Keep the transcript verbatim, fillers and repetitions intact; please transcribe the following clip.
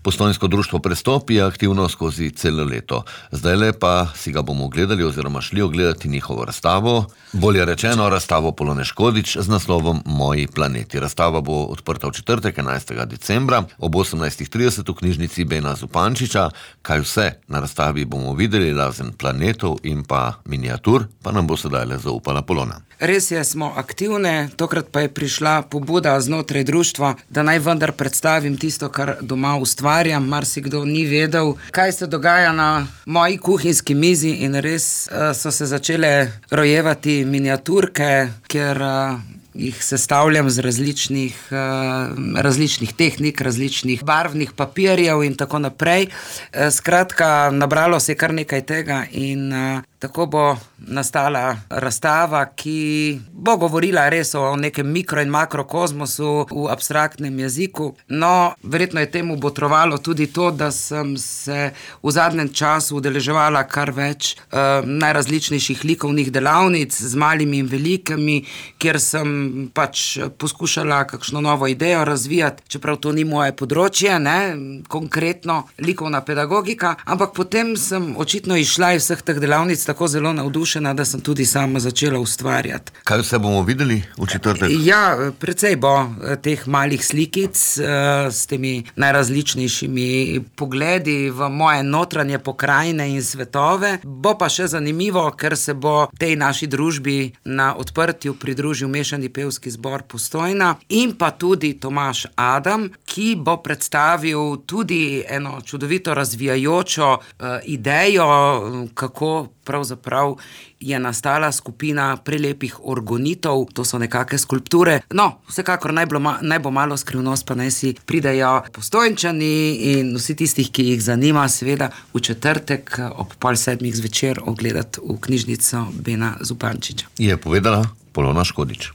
Postojnsko društvo Prestop je aktivno skozi celo leto. Zdajle pa si ga bomo ogledali oziroma šli ogledati njihovo razstavo, bolje rečeno razstavo Polone Škodič z naslovom Moji planeti. Razstava bo odprta v četrtek, enajstega decembra ob osemnajstih trideset v knjižnici Bena Zupančiča. Kaj vse na razstavi bomo videli, razen planetov in pa miniatur, pa nam bo sedajle zaupala Polona. Res je, smo aktivne, tokrat pa je prišla pobuda znotraj društva, da naj vendar predstavim tisto, kar doma ustvarjam. Marsikdo ni vedel, kaj se dogaja na moji kuhinjski mizi, in res uh, so se začele rojevati miniaturke, ker uh, jih sestavljam z različnih, uh, različnih tehnik, različnih barvnih papirjev in tako naprej. Uh, skratka, nabralo se je kar nekaj tega in uh, tako bo nastala razstava, ki bo govorila res o nekem mikro- in makrokozmosu v abstraktnem jeziku. No, verjetno je temu botrovalo tudi to, da sem se v zadnjem času udeleževala kar več uh, najrazličnejših likovnih delavnic z malimi in velikimi, kjer sem pač poskušala kakšno novo idejo razvijati, čeprav to ni moje področje, ne, konkretno likovna pedagogika, ampak potem sem očitno izšla iz vseh teh delavnic tako zelo navdušena, da sem tudi sama začela ustvarjati. Kaj vse bomo videli v četrtek? Ja, precej bo teh malih slikic uh, s temi najrazličnejšimi pogledi v moje notranje pokrajine in svetove. Bo pa še zanimivo, ker se bo tej naši družbi na odprtju pridružil Mešani pevski zbor Postojna in pa tudi Tomaž Adam, ki bo predstavil tudi eno čudovito razvijajočo uh, idejo, kako pravzaprav je nastala skupina prelepih orgonitov, to so nekake skulpture. No, vsekakor naj bo, naj bo malo skrivnost, pa naj si pridejo Postojnčani in vsi tistih, ki jih zanima, seveda v četrtek ob pol sedmih zvečer ogledati v knjižnico Bena Zupančiča. Je povedala Polona Škodič.